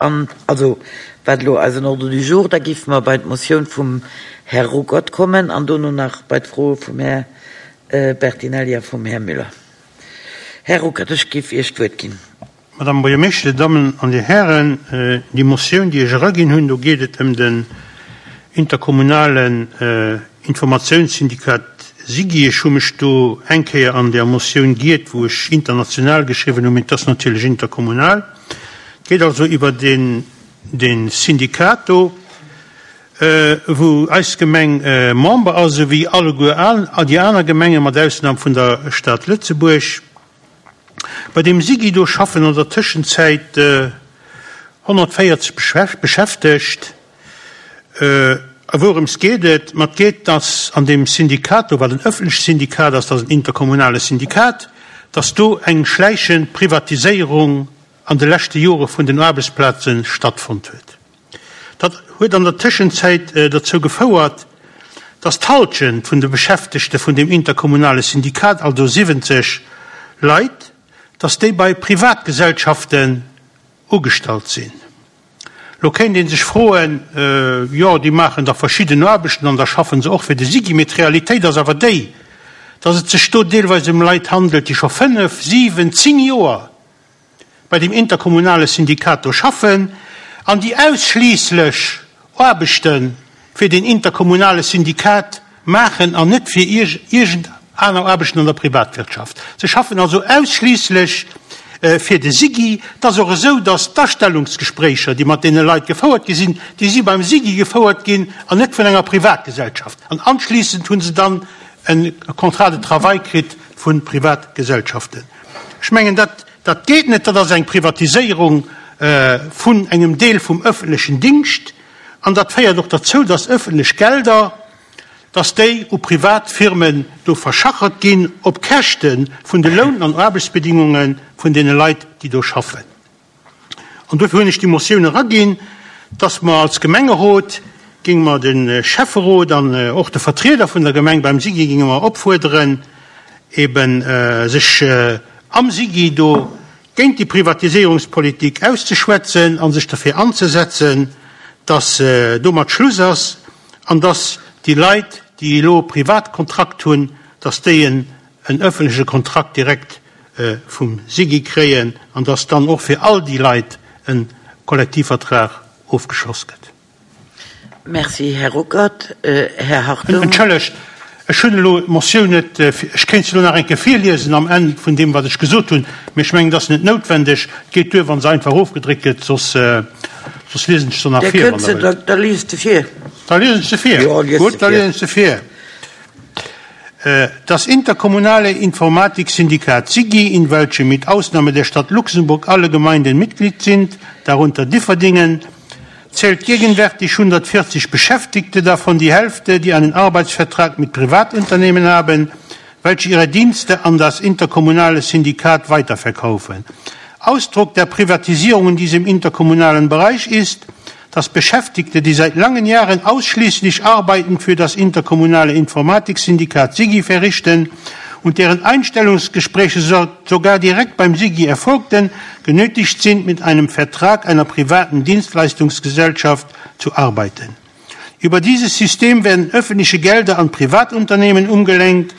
An also wat elo eisen Ordre du jour, da géife mer bei d'Motioun vum Här Ruckert kommen an dono nach bei d'Froe vum Här Bertinelli a vum Här Müller. Här Ruckert, ech géif Iech d'Wuert ginn. Madame Buergermeeschter, Dir Dammen an Dir Hären, déi Motioun, déi ech eraginn hunn, do geet et ëm den interkommunalen Informatiounssyndikat SIGI. Ech hu mech do eng Kéier an där Motioun giert, wou ech international geschriwwen hunn, mee et ass natierlech interkommunal. Et geet also iwwer dee Syndikat do, wou eis Gemeng Member ass, esou wéi alleguer déi aner Gemengen, mat Ausnam vun der Stad Lëtzebuerg. Bei deem SIGI do schaffen an der Tëschenzäit 140 Beschäftegt. A wourëms geet et? Ma et geet, dass an deem Syndikat do, wat en ëffentlecht Syndikat ass, dat ass en interkommunale Syndikat, dass do eng schläichend Privatiséierung an de leschte Jore vun den Aarbechtsplaze stattfonnt huet. Dat huet an der Tëschenzäit dozou gefouert, dass d'Halschent vun de Beschäftegte vun deem interkommunale Syndikat, also 70 Leit, dass déi bei Privatgesellschaften ugestallt sinn. Lo kéint ee sech froen, jo, déi maachen da verschidden Aarbechten an da schaffen se och fir de SIGI. Mee d'Realitéit ass awer déi, dass et sech do deelweis ëm Leit handelt, déi scho fënnef, siwen, zéng Joer bei deem interkommunale Syndikat do schaffen an déi ausschliisslech Aarbechte fir deen interkommunale Syndikat maachen an net fir iergend aner Aarbechten an der Privatwirtschaft. Se schaffen also ausschliisslech fir de SIGI. Et ass och esou, datt d'Astellungsgespréicher, déi mat deene Leit gefouert gi sinn, déi si beim SIGI gefouert ginn an net vun enger Privatgesellschaft. An anschliissend hu se dann e Contrat de travail kritt vu Privatgesellschaften. Ech mengen, dat, dat geet net. Dat ass eng Privatiséierung vun engem Deel vum öffentlechen Dingscht. An dat féiert och derzou, dass öffentlech Gelder, dass déi u privat Firmen do verschachert ginn op Käschte vun de Loun an Aarbechtsbedingunge vun deene Leit, déi do schaffen. An dofir hunn ech déi Motioun eraginn, dass mer als Gemengerot, géinge mer de Schäfferot an och de Vertrieder vun der Gemeng beim SIGI géinge mer opfuerderen, eben sech am SIGI do géint déi Privatiséierungspolitik auszeschwätzen a sech derfir anzesetzen, dass domat Schluss ass an dass déi Leit, déi elo e Privatkontrakt hunn, dass déi en ëffentleche Kontrakt direkt vum SIGI kréien an dass dann och fir all déi Leit e Kollektivvertrag ofgeschloss gëtt. Merci, Här Ruckert. Här Hartung. Entschëllegt, ech hunn elo d'Motioun net, ech kéint se elo nach eng Kéier virliesen am Enn vun deem, wat ech gesot hunn, mee ech mengen, et ass net noutwendeg. Et geet duer, wa se einfach ofgedréckt gëtt, soss, soss liesen ech se nach vir, wann Der wëllt. Da liest se vir. Da liesen ech se vir. Jo, lies se vir. Gutt, da liesen ech se vir. Das interkommunale Informatiksyndikat SIGI, in welchem mit Ausnahme der Stadt Luxemburg alle Gemeinden Mitglied sind, darunter Differdingen, zählt gegenwärtig 140 Beschäftigte, davon die Hälfte, die einen Arbeitsvertrag mit Privatunternehmen haben, welche ihre Dienste an das interkommunale Syndikat weiterverkaufen. Ausdruck der Privatisierung in diesem interkommunalen Bereich ist, dass Beschäftigte, die seit langen Jahren ausschließlich Arbeiten für das interkommunale Informatiksyndikat SIGI verrichten und deren Einstellungsgespräche sogar direkt beim SIGI erfolgten, genötigt sind, mit einem Vertrag einer privaten Dienstleistungsgesellschaft zu arbeiten. Über dieses System werden öffentliche Gelder an Privatunternehmen umgelenkt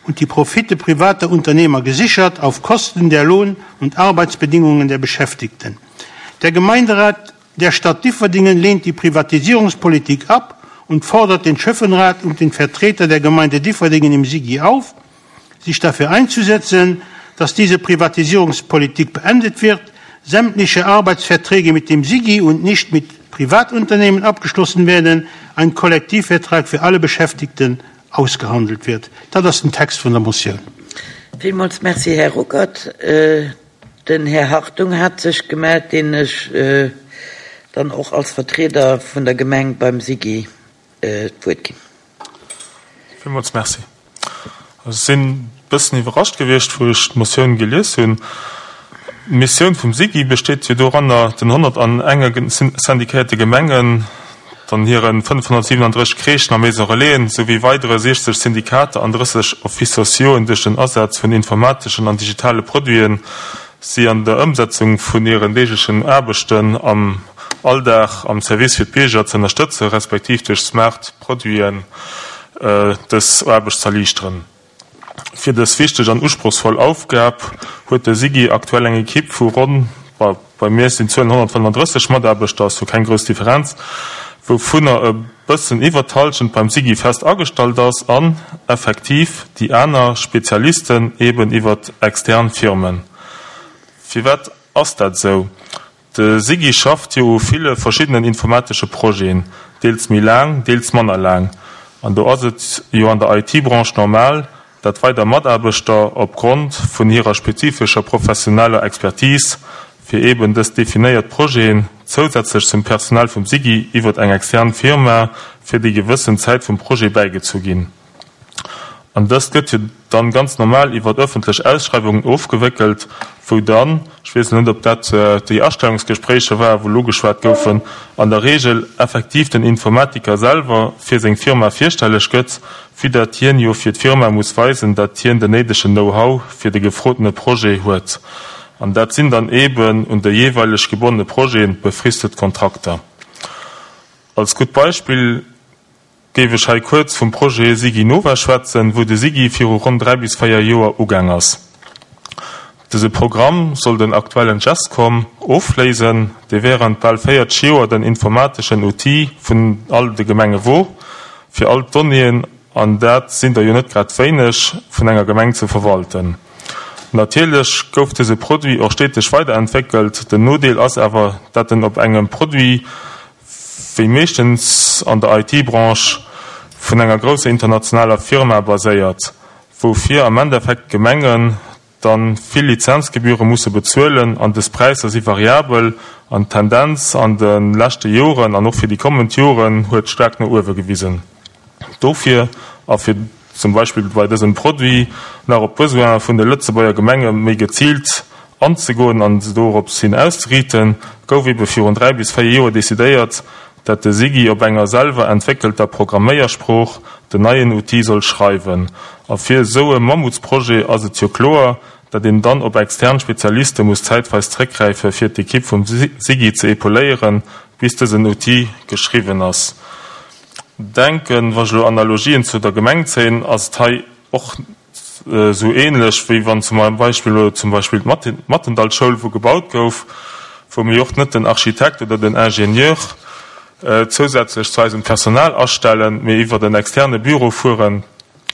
und die Profite privater Unternehmer gesichert auf Kosten der Lohn- und Arbeitsbedingungen der Beschäftigten. Der Gemeinderat der Stadt Differdingen lehnt die Privatisierungspolitik ab und fordert den Schöffenrat und den Vertreter der Gemeinde Differdingen im Sigi auf, sich dafür einzusetzen, dass diese Privatisierungspolitik beendet wird, sämtliche Arbeitsverträge mit dem SIGI und nicht mit Privatunternehmen abgeschlossen werden, ein Kollektivvertrag für alle Beschäftigten ausgehandelt wird. Dat ass den Text vun der Motioun. Villmools Merci, Här Ruckert. Den Här Hartung hat sech gemellt, deen ech dann och als Vertrieder vun der Gemeng beim SIGI d'Wuert ginn. Villmools Merci. Ech sinn e bëssen iwwerrascht gewiescht, wou ech d'Motioun gelies hunn. D'Missioun vum SIGI besteet jo doranner, den 101 syndikéierte Gemengen, dann hire 537 Crèchen a Maison Relaisen souwéi weidere 60 Syndikater an 30 Offices sociauxen duerch den Asaz vun informateschen an digitale Produiten, si an der Ëmsetzung vun hiren deeglechen Aarbechten am. Alldag am Service fir d'Bierger ze ënnerstëtzen, respektiv duerch smart Produiten dës Aarbecht z'erliichteren. Fir dës wichteg an usprochsvoll Aufgab huet de SIGI aktuell eng Ekipp vu ronn, bei mir sinn d'Zuelen 135 Mataarbechter, ass jo keng grouss Differenz, wouvunner e bëssen iwwert d'Hallschent beim SIGI fest agestallt ass an effektiv déi aner Spezialisten eben iwwert extern Firmen. Firwat ass dat esou? De SIGI schafft jo u ville verschiddenen informatesche Projeten, deels méi laang, deels manner laang. An do ass et jo an der IT-Branche normal, dat weider Mataarbechter op Grond vun hirer spezifescher professioneller Expertise fir eeben dës definéiert Projeten zousätzlech zum Personal vum SIGI iwwert eng extern Firma fir déi gewëssen Zäit vum Projet bäigezu ginn. An dëst gëtt jo dann ganz normal iwwert öffentlech Ausschreiwungen ofgewéckelt, wou dann, ech weess elo net, ob dat déi Astellungsgespréicher war, wou elo geschwat goufen, an der Regel effektiv den Informatiker selwer fir seng Firma virstelleg gëtt, vue dat hien jo fir d'Firma muss weisen, dat hien den néidegen Know-how fir de gefrotene Projet huet. An dat sinn dann eeben un de jeeweileg gebonnene Projeten befristet Kontrakter. Als gutt Beispill Géif ech hei kuerz vum Projet SigiNova schwätzen, wou de SIGI viru ronn 3 bis 4 Joer ugaang ass. Dëse Programm soll den aktuellen Gescom ofléisen, dee während bal 40 Joer den informateschen Outil vun all de Gemenge wor, fir all d'Donnéeën, an dat sinn der jo net grad wéineg, vun enger Gemeng ze verwalten. Natierlech gouf dëse Produit och steteg weiderentwéckelt. Den Nodeel ass awer, dat en op engem Produit, wéi meeschtens an der IT-Branche, vun enger grousser internationaler Firma baséiert, woufir am Endeffekt d'Gemengen dann vill Lizenzgebühre musse bezuelen an des Präisser si variabel an d'Tendenz an de leschte Joren an och fir déi kommend Joren huet staark no uewe gewisen. Dofir a fir zum Beispill bei dësem Produit nach op d'Besoine vun de Lëtzebuerger Gemenge méi geziilt anzegoen an se dorops hin auszeriiten, gouf ebe virun 3 bis 4 Joer decidéiert, dat de SIGI op enger selwer entwéckelter Programméiersprooch den neien Outil soll schreiwen. A fir esou e Mammutsprojet ass et jo kloer, dat een dann op extern Spezialiste muss zäitweis zréckgräife fir d'Ekipp vum SIGI ze epauléieren, bis dësen Outil geschriwwen ass. Denken, wa ech elo Analogien zu der Gemeng zéien, ass et hei och esou ähnlech, wéi wann zum Beispill elo zum Beispill d'Mattendallschoul, wou gebaut gouf, wou mir jo och net den Architekt oder den Ingenieur zousätzlech zu eisem Personal astellen, mee iwwert en externe Büro fueren,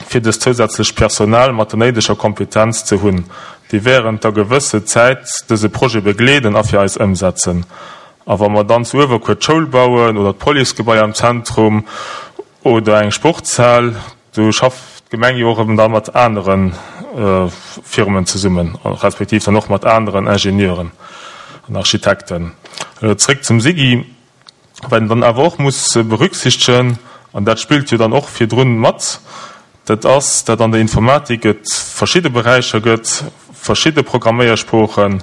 fir dëst zousätzlecht Personal mat der néideger Kompetenz ze hunn, déi während der gewësse Zäit dëse Projet begleeden a fir eis ëmsetzen. A wa mer dann zu Uewerkuer d'Schoul bauen oder d'Policegebai am Zentrum oder eng Sportshal, do schafft d'Gemeng jo och erëm da mat anere Firmen zesummen, respektiv dann och mat aneren Ingenieuren an Architekten. Elo zréck zum SIGI. Wat een dann awer och muss berücksichtegen, an dat spillt jo dann och virdrun mat, dat ass, dat an der Informatik et verschidde Beräicher gëtt, verschidde Programméiersproochen,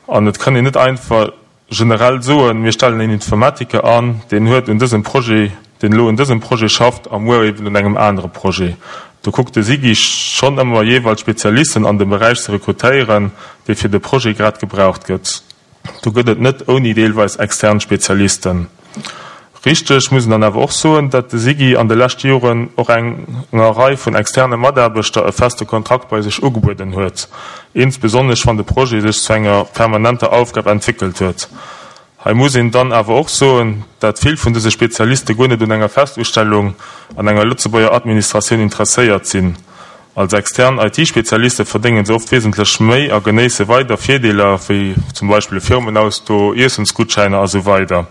an et kann een net einfach generell soen, mir stellen een Informatiker an, deen huet un dësem Projet, deen elo un dësem Projet schafft a muer eben un engem anere Projet. Do kuckt de SIGI schonn ëmmer jeeweils Spezialisten an dem Beräich ze rekrutéieren, dee fir de Projet grad gebraucht gëtt. Do gëtt et net ouni deelweis extern Spezialisten. Richteg muss een dann awer och soen, datt de SIGI an de leschte Joren och enger Rei vun externe Mataarbechter e feste Kontrakt bei sech ugebueden huet, insbesonnesch wann de Projet sech zu enger permanenter Aufgab entwéckelt huet. Hei muss een dann awer och soen, dat vill vun dëse Spezialiste guer net un enger Festustellung an enger Lëtzebuerger Administratioun interesséiert sinn. Als extern IT-Spezialiste verdéngen se oft wesentlech méi a genéisse weider Virdeeler, wéi zum Beispill e Firmenauto, Iessensgutschäiner a sou weider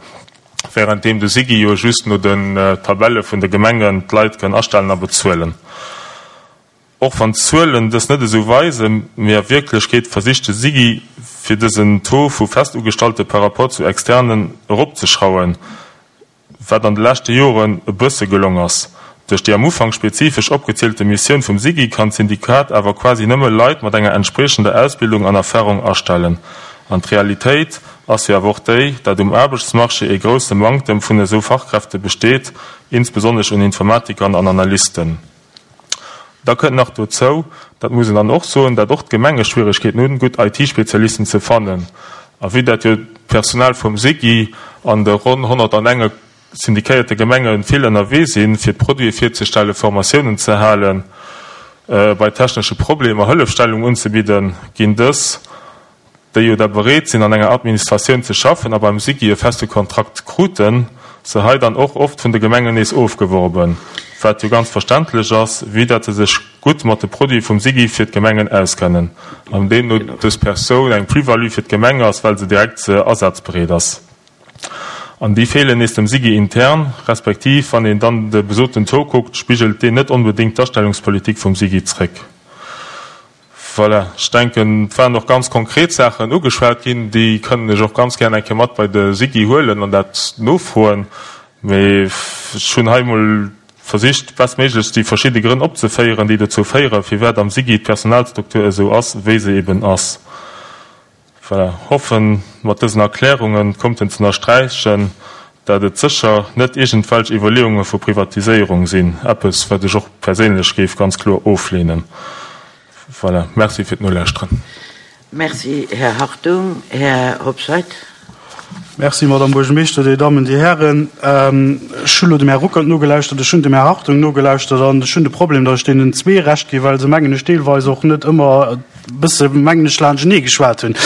Wärenddeem de SIGI jo just no den Tabelle vun de Gemengen d'Leit kann astellen a bezuelen. Och wann d'Zuelen dës net esou weisen, mee a Wierklechkeet versicht de SIGI fir dësen Taux vu Festugestallte par rapport zu Externen eropzeschrauwen, wat an de leschte Joren e bësse gelong ass. Duerch déi am Ufank spezifesch opgezielte Missioun vum SIGI kann d'Syndikat awer quasi nëmme Leit mat enger entspriechender Ausbildung an Erfahrung astellen. An d'Realitéit ass jo awer och déi, dat um Aarbechtsmarché e grousse Manktem vun esou Fachkräfte besteet, insbesonnesch un Informatikern an Analysten. Da kënnt nach dozou, dat muss een dann och soen, dat och d'Gemenge Schwierigkeeten hunn, gutt IT-Spezialisten ze fannen. A vue dat jo. d'Personal vum SIGI an de ronn 101 syndikéierte Gemenge vill ënnerwee sinn, fir d'Produite virzestellen, Formatiounen ze halen, bei technesche Problemer Hëllefstellung unzebidden, ginn dës, déi jo da bereet sinn an enger Administratioun ze schaffen a beim SIGI e feste Kontrakt kruten, se hei dann och oft vun de Gemengen nees ofgeworben, wat jo ganz verständlech ass, vue dat se sech gutt mat de Produite vum SIGI fir d'Gemengen auskennen an deemno dës Persoun eng Plus-value fir d'Gemeng ass, well se direkt asazbereet ass. An déi feelen nees dem SIGI intern, respektiv wann een dann de besoten Taux kuckt, spigelt deen net onbedéngt d'Astellungspolitik vum SIGI zréck. Voilà, ech denken, et waren och ganz konkret Saachen ugeschwat ginn, déi kënnen ech och ganz gär eng Kéier mat bei de SIGI huelen an dat nofroen. Mee ech hunn hei emol versicht, bestméiglechst déi verschidde Grënn opzeféieren, déi dozou féieren, firwat am SIGI d'Personalstruktur esou ass, wéi se eben ass. Voilà, hoffen mat dësen Erklärungen konnten ze ënnersträichen, dat et sécher net iergendwelch Iwwerleeunge vu Privatiséierung sinn, eppes wat ech och perséinlech géif ganz kloer ofleenen. Voilà, Merci fir d'Nolauschteren. Merci, Här Hartung. Här Hobscheit. Merci, Madame Buergermeeschter, Dir Dammen, Dir Hären. Ech hu lo dem Här Ruckert nogelauschtert, ech hunn dem Här Hartung nogelauschtert an ech hunn de Problem, datt ech deenen zwee Recht ginn, well se, mengen ech, deelweis och net ëmmer e bësse, mengen ech, laanschtenee geschwat hunn.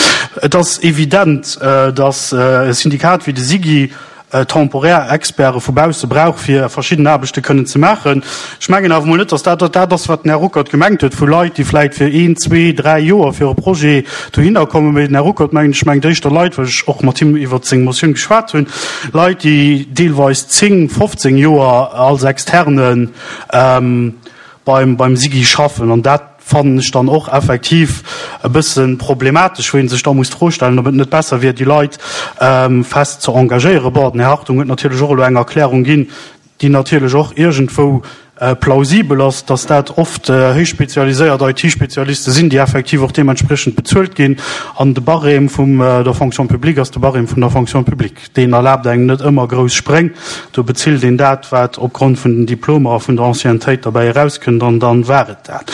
Et ass evident, datt e Syndikat wéi de SIGI temporär Experte vu bausse brauch, fir verschidden Aarbechte kënnen ze maachen. Ech mengen awer emol net, datt dat dat ass, wat den Här Ruckert gemengt huet, vu Leit, déi vläicht fir een, zwee, dräi Joer fir e Projet dohinner kommen. Mee den Här Ruckert, mengen ech, mengt éischter Leit, well ech och mat him iwwert seng Motioun geschwat hunn, Leit, déi deelweis 10, 15 Joer als Externe beim, beim SIGI schaffen. An dat fannen ech dann och effektiv e bësse problematesch, wou ee sech da muss d'Fro stellen, ob et net besser wier, déi Leit fest ze engagéieren. Bon, den Här Hartung huet natierlech och elo eng Erklärung ginn, déi natierlech och iergendwou plausibel ass, dass dat oft héich spezialiséiert IT-Spezialiste sinn, déi effektiv och deementspriechend bezuelt ginn. An de Barème vum der Fonction publique ass de Barème vun der Fonction publique. Deen erlaabt engem net ëmmer grouss Spréng. Do bezilt een dat, wat opgrond vun den Diplomer a vun der Anciennetéit derbäi erauskënnt, an dann war et dat.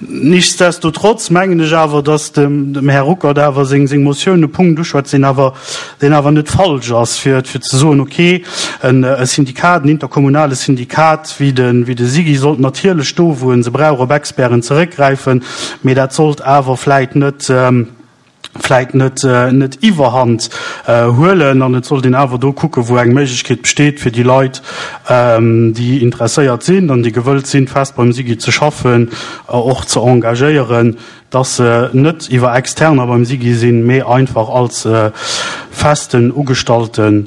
Nichtsdestotrotz mengen ech awer, dass dem Här Ruckert awer seng Motioun e Punkt uschwätzt, deen awer, deen awer net falsch ass, fir ze soen, okay, e Syndikat, en interkommunale Syndikat wéi de, wéi de SIGI sollt natierlech do, wou e se brauch, op Experten zeréckgräifen, mee dat sollt awer vläit net, vläit net, net Iwwerhand huelen an et sollt een awer do kucken, wou eng Méiglechkeet besteet, fir déi Leit, déi interesséiert sinn an déi gewëllt sinn, fest beim SIGI ze schaffen, och ze engagéieren. Dass se net iwwer Externer beim SIGI sinn, mee einfach als festen Ugestallte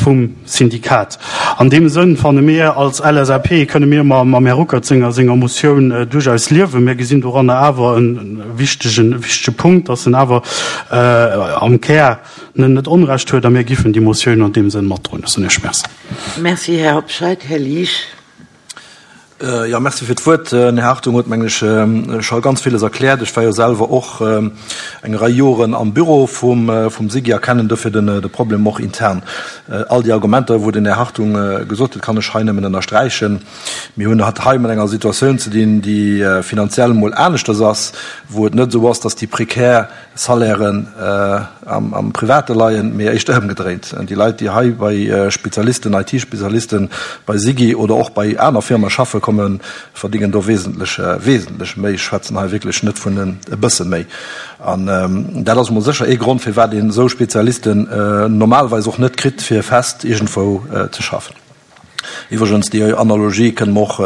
vum Syndikat. An deem Sënn fanne mir als LSAP, kënne mir mam Här Ruckert senger senger Motioun duerchaus liewen. Mir gesinn doranner awer e wichtegen, wichtege Punkt, dass en awer am Kär net Onrecht huet a mir giffen déi Motioun an deem Sënn matdroen. Ech soen Iech Merci. Merci, Här Hobscheit. Här Liesch. Jo, merci fir d'Wuert. Den Här Hartung huet, mengen ech, scho ganz villes erkläert. Ech war jo selwer och eng Rei Joren am Büro vum SIGI a kennen dofir de Problem och intern. All déi Argumenter, wou den Här Hartung gesot huet, kann ech hei nëmmen ënnersträichen. Mir hunn et hei mat enger Situatioun ze dinn, déi finanziell emol aneschters ass, wou et net esou ass, dass déi prekär Salairen am Private leien, mee éischter ëmgedréint. Déi Leit, déi hei bei Spezialisten, IT-Spezialisten bei SIGI oder och bei aner Firme schaffe kommen, verdingen do wesentlech, wesentlech méi. Ech schwätzen hei wierklech net vun e bësse méi. An dat ass emol sécher ee Grond, firwat een esou Spezialisten normalerweis och net kritt, fir fest iergendwou ze schaffen. Iwwregens, déi Analogie kënne mer och,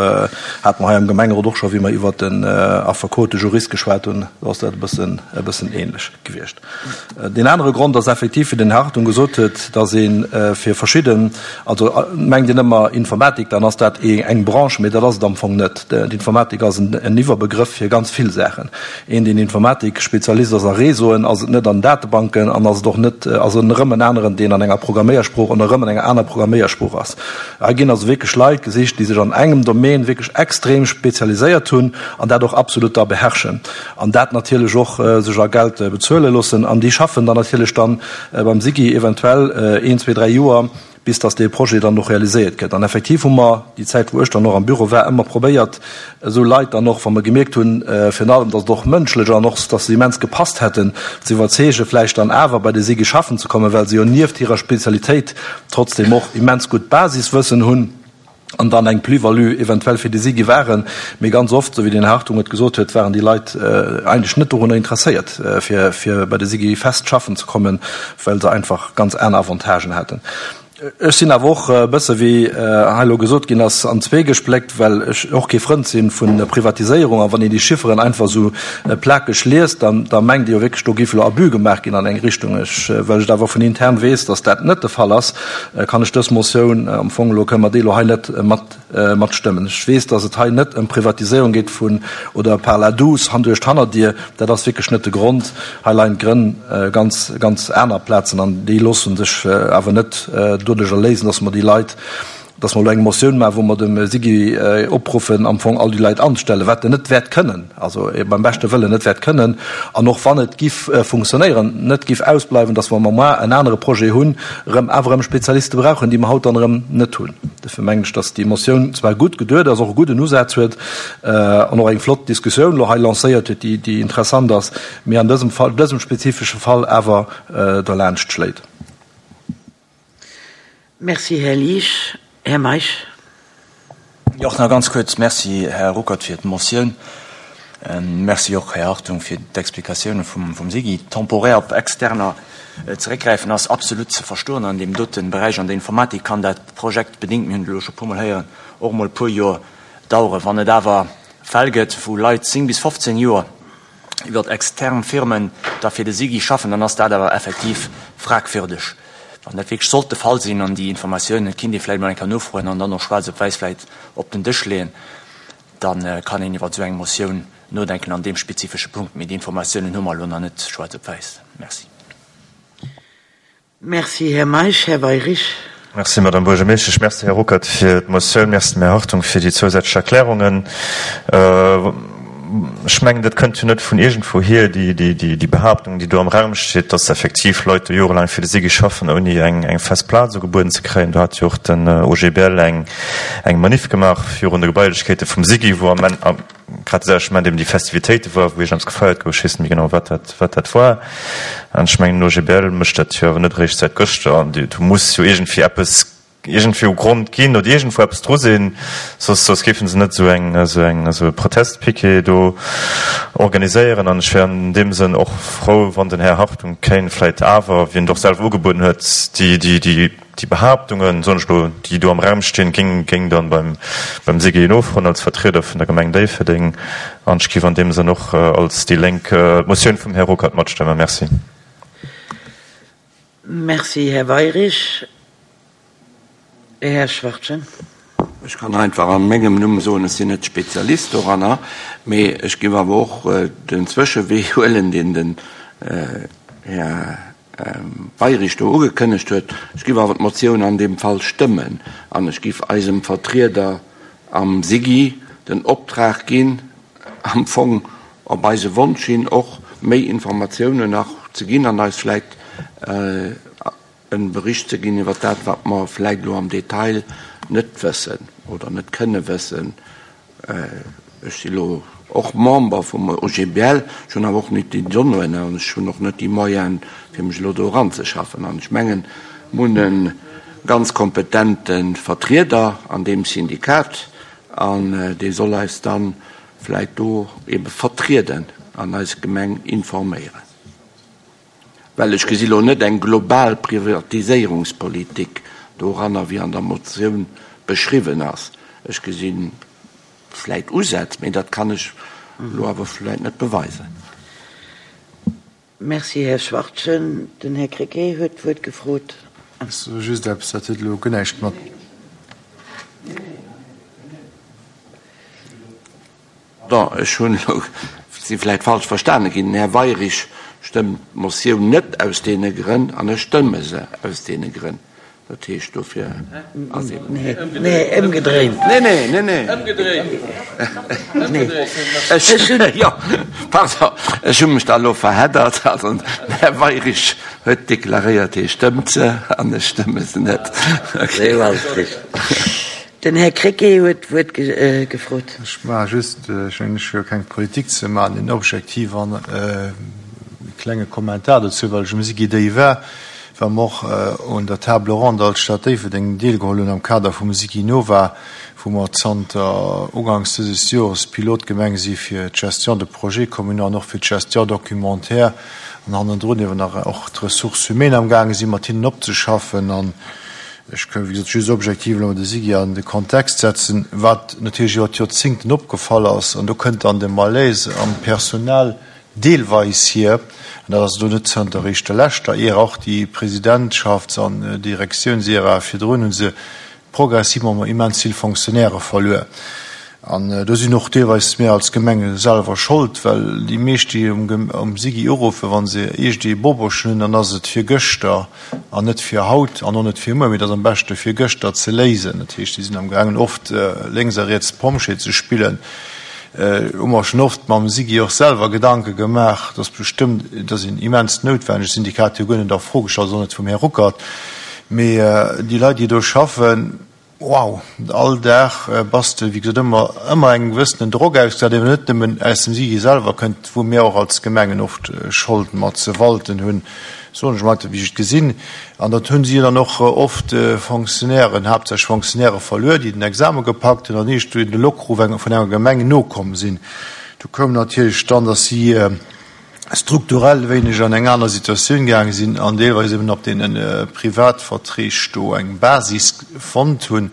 hate mer hei am Gemengerot och scho, wéi mer iwwert den Affekot, de Jurist geschwat hunn, do ass dat e bëssen, e bëssen ähnlech gewiescht. Deen anere Grond ass effektiv, wéi den Här Hartung gesot huet, dass ee fir verschidden, also mengt een ëmmer Informatik, dann ass dat eng Branche, mee dat ass et am Fong net. D'Informatik ass en Iwwerbegrëff fir ganz vill Saachen. Een, deen Informatik-Spezialist ass a Réseauen, ass et net an Datebanken an ass et och net, ass en erëm en aneren, deen an enger Programméiersprooch oder erëm an enger aner Programméiersprooch ass. Hei ginn also wierklech Leit gesicht, déi sech an engem Domaine wierklech extrem spezialiséiert hunn an dat och absolut da beherrschen an dat natierlech och sech a Geld bezuele loossen. An déi schaffen dann natierlech dann beim SIGI eventuell een, zwee, dräi Joer. bis dass dee Projet dann och realiséiert gëtt. An effektiv hu mer déi Zäit, wou ech dann och am Büro war, ëmmer probéiert, esou Leit dann och, wa mer gemierkt hunn, virun allem, dass et och mënschlech an och, dass se immens gepasst hätten, ze iwwerzeegen, vläicht dann awer bei de SIGI schaffen ze kommen, well se jo nieft hirer Spezialitéit trotzdem och immens gutt Basiswëssen hunn an dann eng Plus-value eventuell fir de SIGI waren. Mee ganz oft, esou wéi den Här Hartung et gesot huet, waren déi Leit eigentlech net dorunner interesséiert, fir bei de SIGI fest schaffen ze kommen, well se einfach ganz aner Avantagen haten. Ech sinn awer och e bësse, wéi hei elo gesot ginn ass, an zwee gespléckt, well ech och kee Frënd si vu Privatiséierung. A wann een déi Chifferen einfach esou plakeg liest, da da mengt ee jo wierklech, do géif elo Abus gemaach ginn an eng Richtung. Ech, well ech et awer vun intern weess, datt dat net de Fall ass, kann ech dës Motioun am Fong elo, kënne mer déi elo hei net mat matstëmmen. Ech weess, dass et hei net ëm Privatiséierung geet vun oder par la douce, han duerch d'Hannerdier. Dat ass wierklech net de Grond. Hei leien d'Grënn ganz, ganz aner Plazen an déi loosse sech awer net doduercher léisen, dass mer déi Leit, dass mer elo eng Motioun maachen, wou mer dem SIGI opruffen, am Fong all déi Leit anzestellen, wat en net wäert kënnen, also beim beschte Wëllen net wäert kënnen. An och wann et giff funktionéieren, net giff ausbleiwen, dass wa mer moar en anere Projet hunn, erëm awer erëm Spezialiste brauchen, déi mer haut dann erëm net hunn. Dofir mengen ech, dass déi Motioun zwar gutt geduet ass, och e gudden Usaz huet an och eng flott Diskussioun elo hei lancéiert huet, déi, déi interessant ass, mee an dësem Fall, dësem spezifesche Fall awer derlaanscht schléit. Merci, Här Liesch. Här Meisch. Jo, och nach ganz kuerz. Merci, Här Ruckert, fir d'Motioun. Merci och, Här Hartung, fir d'Explikatioune vum SIGI. Temporär op Externer zeréckgräifen ass absolut ze verstoen an deem dote Beräich. An der Informatik kann dat projektbedéngt, mir hunn et elo scho e puermol héieren, och emol e puer Joer daueren. Wann et awer Fäll gëtt, wou Leit 10 bis 15 Joer iwwert extern Firmen da fir de SIGI schaffen, dann ass dat awer effektiv fragwürdeg. Wann dat wierklech sollt de Fall sinn an déi Informatiounen kinnt ee vläicht emol eng Kéier nofroen an dann och schwaarz op wäiss vläicht op den Dësch leeën, da kann een iwwer esou eng Motioun nodenken an deem spezifesche Punkt. Mee déi Informatiounen hu mer elo nach net schwaarz op wäiss. Merci. Merci, Här Meisch. Här Weyrich. Merci, Madame Buergermeeschtesch. Merci, Här Ruckert, fir d'Motioun. Merci dem Här Hartung fir déi zousätzlech Erklärungen. Ech mengen, dat kënnt jo net vun iergendwouhier, déi Behaaptung, déi do am Raum steet, dass effektiv Leit do jorelaang fir de SIGI schaffen, ouni eng fest Plaz ugebueden ze kréien. Do hat jo och den OGBL eng Maniff gemaach virun de Gebailechkeete vum SIGI, wou am grad de selwechte Moment eben déi Festivitéite war, wou iergendeppes gefeiert gouf, ech weess net méi genau, wat dat, wat dat war. An ech mengen, den OGBL mécht dat jo awer net eréischt säit gëschter. An do muss jo iergendwéi eppes, iergendwéi u Grond ginn oder iergendwou eppes dru sinn, soss, soss géife se net esou eng, esou eng, esou e Protestpiquet do organiséieren. An ech wär an deem Sënn och frou, wann den Här Hartung kéint vläicht awer, wéi en et och selwer ugebueden huet, déi, déi, déi, Déi Behaaptungen, soen ech elo, déi do am Raum stinn, géing géing dann beim beim SIGI nofroen als Vertrieder vun der Gemeng Déifferdeng. An ech géif an deem Sënn och als déi Lénk d'Motioun vum Här Ruckert matstëmmen. Merci. Merci, Här Weyrich. Här Schwachtgen. Ech kann einfach a mengem Numm soen, ech sinn net Spezialist doranner, mee ech géif awer och den Zwëschewee huelen, deen den Här Weyrich do ugekënnegt huet. Ech giff awer d'Motioun an deem Fall stëmmen an ech giff eisem Vertrieder am SIGI den Optrag ginn, am Fong op eise Wonsch hin och méi Informatiounen nach ze ginn an eis vläicht e Bericht ze ginn iwwer dat, wat mer vläicht elo am Detail net wëssen oder net kënne wëssen. Ech si lo och Member vum OGBL, ech hunn awer och net déi Donnéeën an ech hunn och net déi Moyenen, fir mech elo do eranzeschaffen. An ech mengen, mir hunn e ganz kompetente Vertrieder an deem Syndikat an dee soll eis da vläicht do ebe vertrieden an eis Gemeng informéieren. Well ech gesi lo net eng global Privatiséierungspolitik doranner, wéi an der Motioun beschriwwen ass. Ech gesi vläit Usätz, mee dat kann ech elo awer vläit net beweisen. Merci, Här Schwachtgen. Den Här Krecké huet d'Wuert gefrot. Ech soe just eppes, dat huet elo guer näischt mat. Pardon, ech hunn elo, si vläit falsch verstane ginn. Den Här Weyrich stëmmt d'Motioun net aus deene Grënn an ech stëmme se aus deene Grënn. Dat heescht, dofir ass eben. Nee, nee, ëmgedréint. Nee, nee, nee, nee. Ëmgedréint. Ech hunn, jo, pardon, ech hu mech da elo verheddert. Also den Här Weyrich huet deklaréiert, hie stëmmt se, an ech stëmme se net. Okay. Esou ass et richteg. Den Här Krecké huet d'Wuert gefrot. Ech maache just, ech mengen, ech hu jo keng Politik ze maachen, en objektiv an e klenge Kommentar dozou, well ech um SIGI déi war. Well mer och un der Table ronde als Stad Déifferdeng deelgeholl hunn am Kader vum SIGINOVA, wou mer zanter uganks dëses Jores Pilotgemeng si fir d'Gestion de projets communaux an och fir d'Gestion documentaire an hannendrun ewer nach och d'Ressources humaines amgaange si mat hinnen opzeschaffen. An ech ka wéi gesot just objektiv elo de SIGI an de Kontext setzen, wat natierlech iwwer d'Joerzingten opgefall ass, an do kënnt dann de Malaise am Personal deelweis hier, an dat ass elo net zënter eréischt der leschter Ära, och déi Presidentschafts an Direktiounsära virdrun hu se progressivement immens vill Fonctionnairë verluer. An do sinn och deelweis mir als Gemenge selwer Schold, well déi meescht, déi um SIGI uruffen, wa se iergendee Boboschen hunn, dann ass et fir gëschter an net fir haut an och net fir muer, mee et ass am beschte fir gëschter ze léisen. Dat heescht, déi sinn amgaangen oft lénks a riets Pompjee ze spillen. Hu mer schonn oft mam SIGI och selwer Gedanke gemaach, dass bestëmmt, et ass een immens noutwennegt Syndikat, jo guer net a Fro gestallt, och net vum Här Ruckert, mee déi Leit, déi do schaffen, wow, all Dag bass de, wéi gesot, ëmmer, ëmmer engem gewëssenen Drock ausgesat, deen net nëmmen aus dem SIGI selwer kënnt, wou mir och als Gemengen oft Schold mat ze walten hunn, soen ech emol, wéi ech et gesinn. An dat hunn si jo dann och oft Fonctionnairen, haaptsächlech Fonctionnairë verluer, déi den Exame gepackt hunn an iergendwéi de Lockruf vun enger Gemeng nokomm sinn. Do koum natierlech dann, datt si strukturell wéineg an eng aner Situatioun gaange sinn an deelweis eben op deene Privatverträg do eng Basis fonnt hunn,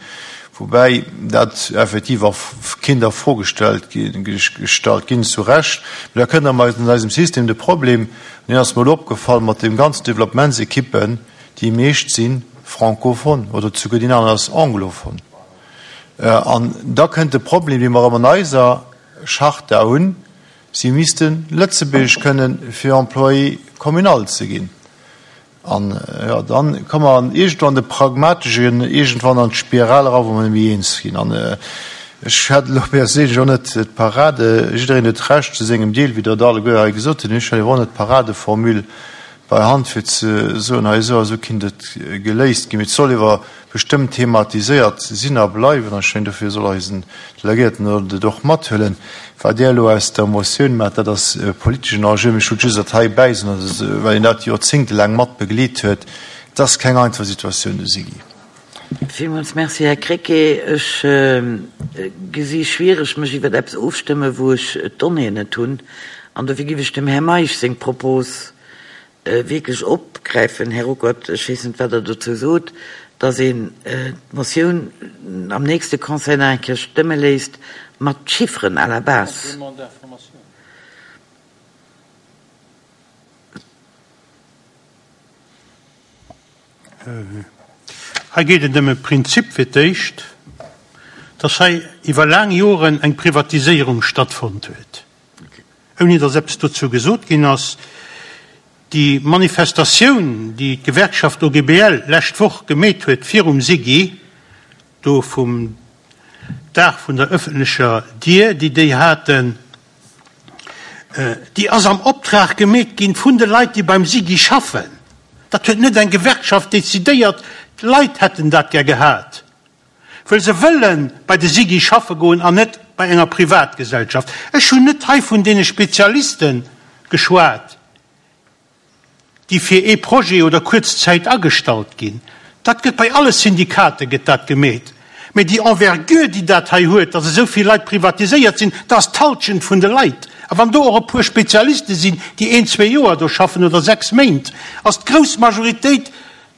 woubäi dat effektiv a kinnt a Fro gestallt ginn, zu Recht. Mee da kënnt an eisem System de Problem, Mir ass mol opgefall mat dem ganzen Developmentsequippen, déi meescht si francophone oder souguer deen aneren ass anglophone. An da kënnt de Problem, dee mer erëm an eiser Charta hunn, si misste Lëtzebuergesch kënnen, fir Employé communal ze ginn. An jo, dann komme mer iergendwann an de pragmateschen, iergendwann an d'Spiral era, wou mer net méi eens ginn. An ech hätt elo perséinlech och net d'Parade, jiddereen huet Recht zu sengem Deel, wéi Der et alleguer hei gesot hutt, ech hätt awer och net d'Paradeformule bei Hand, fir ze soen, hei esou a esou kinnt et geléist ginn. Mee et soll ewer bestëmmt thematiséiert sinn a bleiwen. An ech mengen, dofir soll eisen Delegéierten et och mathuelen. Wat Där elo aus der Motioun maacht, dat ass e politeschen Enjeu. Mee ech wollt just dat hei bäisoen, well een dat joerzéngtelaang mat begleet huet. Et ass keng einfach Situatioun, de SIGI. Villmools Merci, Här Krecké. Ech gesi schwiereg, mech iwwer eppes ofstëmmen, wou ech d'Donnéeën net hunn. An dofir giff ech dem Här Meisch seng Propos wierklech opgräifen, Här Ruckert, ech weess net, wat Der dozou sot, dass een d'Motioun am nächste Conseil nach eng Kéier stëmme léisst mat Chifferen à la base. Hei geet et ëm e Prinzip fir d'éischt, dass hei iwwer laang Joren eng Privatiséierung stattfonnt huet. ouni datt eppes dozou gesot ginn ass. Déi Manifestatioun, déi d'Gewerkschaft OGBL lescht Woch gemeet huet virum SIGI, do vum Dag vun der ëffentlecher Dier, déi déi haten, déi ass am Optrag gemeet ginn vun de Leit, déi beim SIGI schaffen. Dat huet net eng Gewerkschaft decidéiert, d'Leit hätten dat gär gehat. Well se wëlle bei de SIGI schaffe goen an net bei enger Privatgesellschaft. Ech hunn net hei vun deene Spezialiste geschwat, déi fir ee Projet oder kuerz Zäit agestallt ginn. Dat gëtt bei alle Syndikate gëtt dat gemeet. Mä déi Envergure, déi dat hei huet, datt esou vill Leit privatiséiert sinn, dat ass d'Halschent vun de Leit. A wann do och e puer Spezialiste sinn, déi een, zwee Joer do schaffen oder sechs Méint, ass d'grouss Majoritéit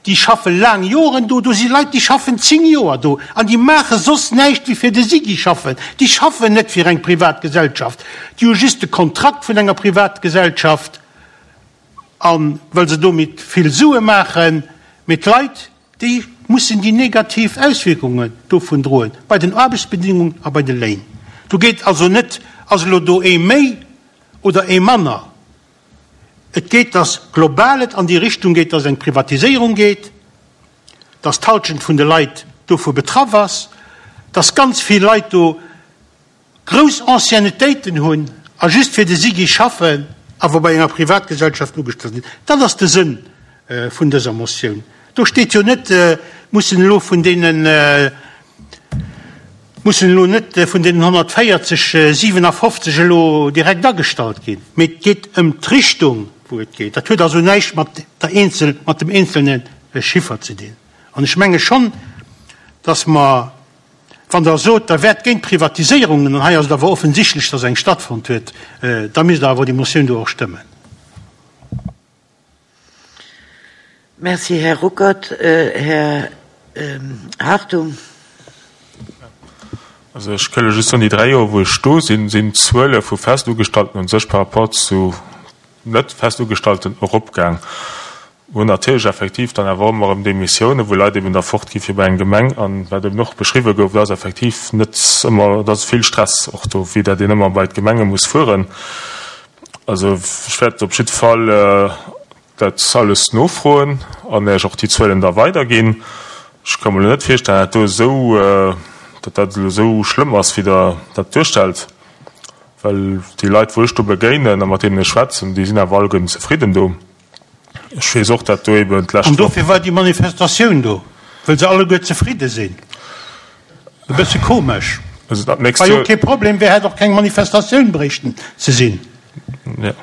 Déi schaffe laang Joren do. Do si Leit, déi schaffen 10 Joer do an déi maache soss näischt wéi fir de SIGI schaffen. Déi schaffen net fir eng privat Gesellschaft. Déi hu just de Kontrakt vun enger Privatgesellschaft a well se domat vill Sue maachen. Mee d'Leit, déi mussen déi negativ Auswierkungen dovun droen, bei den Aarbechtsbedingungen a bei de Léin. Do geet also net, ass elo do ee méi oder ee manner. Et geet, dass global et an déi Richtung geet, dass et eng Privatiséierung geet. dass d'Halschent vun de Leit dovu betraff ass, dass ganz vill Leit do grouss Anciennetéiten hunn a just fir de SIGI schaffen, awer bei enger Privatgesellschaft ugestallt sinn. Dat ass de Sënn vun dëser Motioun. Do steet jo net, mussen elo vun deenen, mussen elo net vun deenen 140 57 elo direkt agestallt ginn, mee et geet ëm d'Richtung, wou et geet. Dat huet also näischt mat der eenzel, mat dem eenzelne Chiffer ze dinn. An ech menge schonn, dass mer, wann Der sot, Der wäert géint Privatiséierungen, an hei ass et awer offensichtlech, dass eng stattfonnt huet, da misst Der awer déi Motioun do och stëmmen. Merci, Här Ruckert. Här Hartung. Also ech këlle just soen, déi dräi Joer, wou ech do sinn, sinn d'Zuele vu Festugestalten u sech par rapport zu net Festugestalten eropgaang. Mir hunn natierlech effektiv dann awer och ëmmer erëm Demissiounen, wou Leit eben da fortgi fir bei eng Gemeng. An wat eben och beschriwwe gouf, et ass effektiv net ëmmer, et ass vill Stress och do, vue dat een ëmmer bei d'Gemenge muss fueren. Also ech wäert op jidde Fall dat alles nofroen an Iech och déi Zuelen da weiderginn. Ech ka mer elo net virstellen, dat do esou, datt dat elo esou schlëmm ass, wéi Der dat duerstellt, well déi Leit, wou ech do begéinen a mat deenen ech schwätzen, déi sinn awer alleguerten zefridden do. Ech weess och, dat do eben d'lescht An dofir war déi Manifestatioun do, wëll se alleguer zefridde sinn. E bësse komesch. Also dat nächst War jo Joer. kee Problem, wär hätt och keng Manifestatioun bréichten ze sinn. Jo.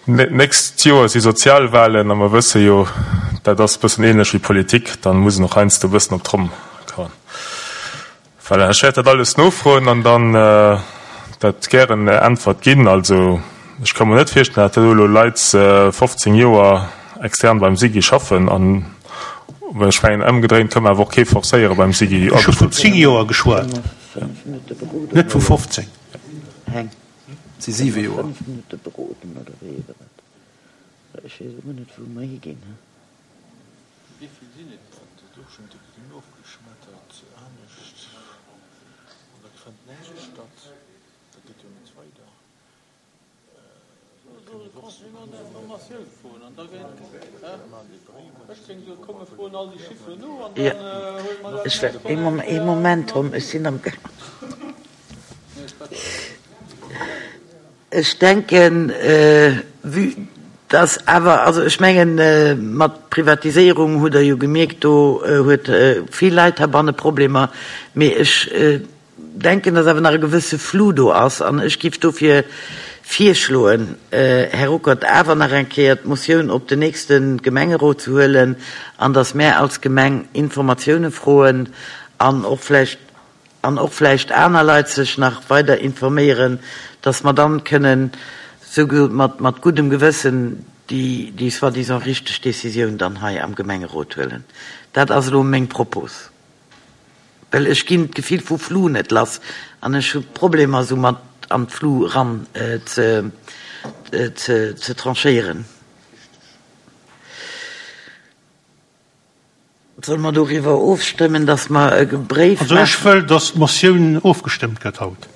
D'nächst Joer si Sozialwahlen a mer wësse jo, dat ass e bëssen ähnlech wéi Politik, dann muss een och heiansdo e bëssen op d'Tromm kauen. Voilà, ech wäert dat alles nofroen an dann dat gären Äntwert ginn. Also ech ka mer net virstellen, datt do elo Leit 15 Joer extern beim SIGI schaffen an ech mengen ëmgedréint ka mer awer och kee forcéiere beim SIGI Ech hu vun 10 Joer geschwat, net vu 15. Et si siwe Joer. Wéivill sinn et dann? Dat och schon, déi ginn ofgeschmettert, anescht, an da fënnt näischt statt, dat geet jo net weider. Ee Moment, Tom, ech sinn am Gaang. Ech denken, vue dass awer, also ech mengen, mat Privatiséierung hutt Der jo gemierkt, do huet vill Leit heibanne Problemer, mee ech denken, dass awer nach e gewësse Flou do ass an ech géif dofir virschloen, Här Ruckert, awer nach eng Kéier d'Motioun op den nächste Gemengerot ze huelen an dass mär als Gemeng Informatioune froen an och vläicht, an och vläicht aner Leit sech nach weider informéieren, dass mer dann kënnen souguer mat, mat guddem Gewëssen déi, déi soi-disant richteg Décisioun dann hei am Gemengerot huelen. Dat ass elo meng Propos, well ech ginn d'Gefill vu Flou net lass an ech hu Problemer esou mat an d'Flou eran ze, ze, ze tranchéieren. Solle mer doriwwer ofstëmmen, dass mer e Bréif Also ech wëll, dass d'Motioun ofgestëmmt gëtt haut.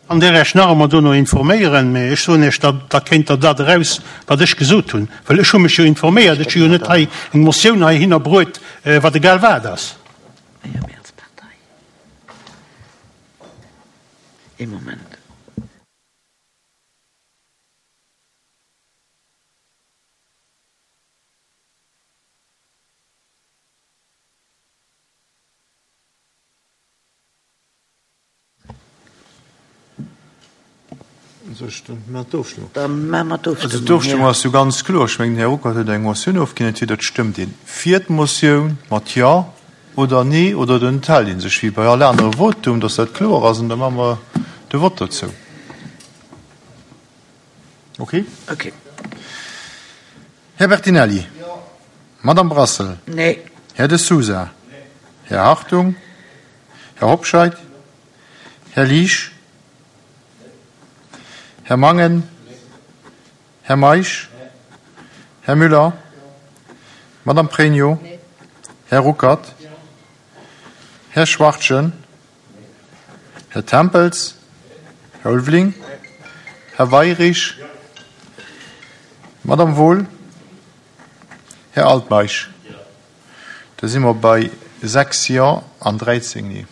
An där Iech nach ëmmer dono informéieren, mä ech soen Iech, da da kéint Der dat eraus, wat ech gesot hunn, well ech hu mech jo informéiert. Ech hu jo net hei eng Motioun heihinner bruet, wat egal wat ass. Ee Moment. Dann maache mer d'Ofstëmmung. Also d'Ofstëmmung ass jo ganz kloer. Ech mengen, den Här Ruckert huet eng Motioun ofginn. Entweder et stëmmt een fir d'Motioun mat Jo oder Nee oder et enthält ee sech, wéi bei all anere Votum, dass dat kloer ass. An da maache mer de Vott dozou. Okay. Okay. Här Bertinelli. Jo. Madame Brassel. Nee. Här De Sousa. Nee. Här Hartung. Här Hobscheit. Här Liesch. Här Mangen. Här Meisch. Här Müller. Madame Pregno. Här Ruckert. Här Schwachtgen. Här Tempels, Här Ulveling, Här Weirich, Madame Wohl, Här Altmeisch. Da si mer bei 6 Jo an 13 Nee.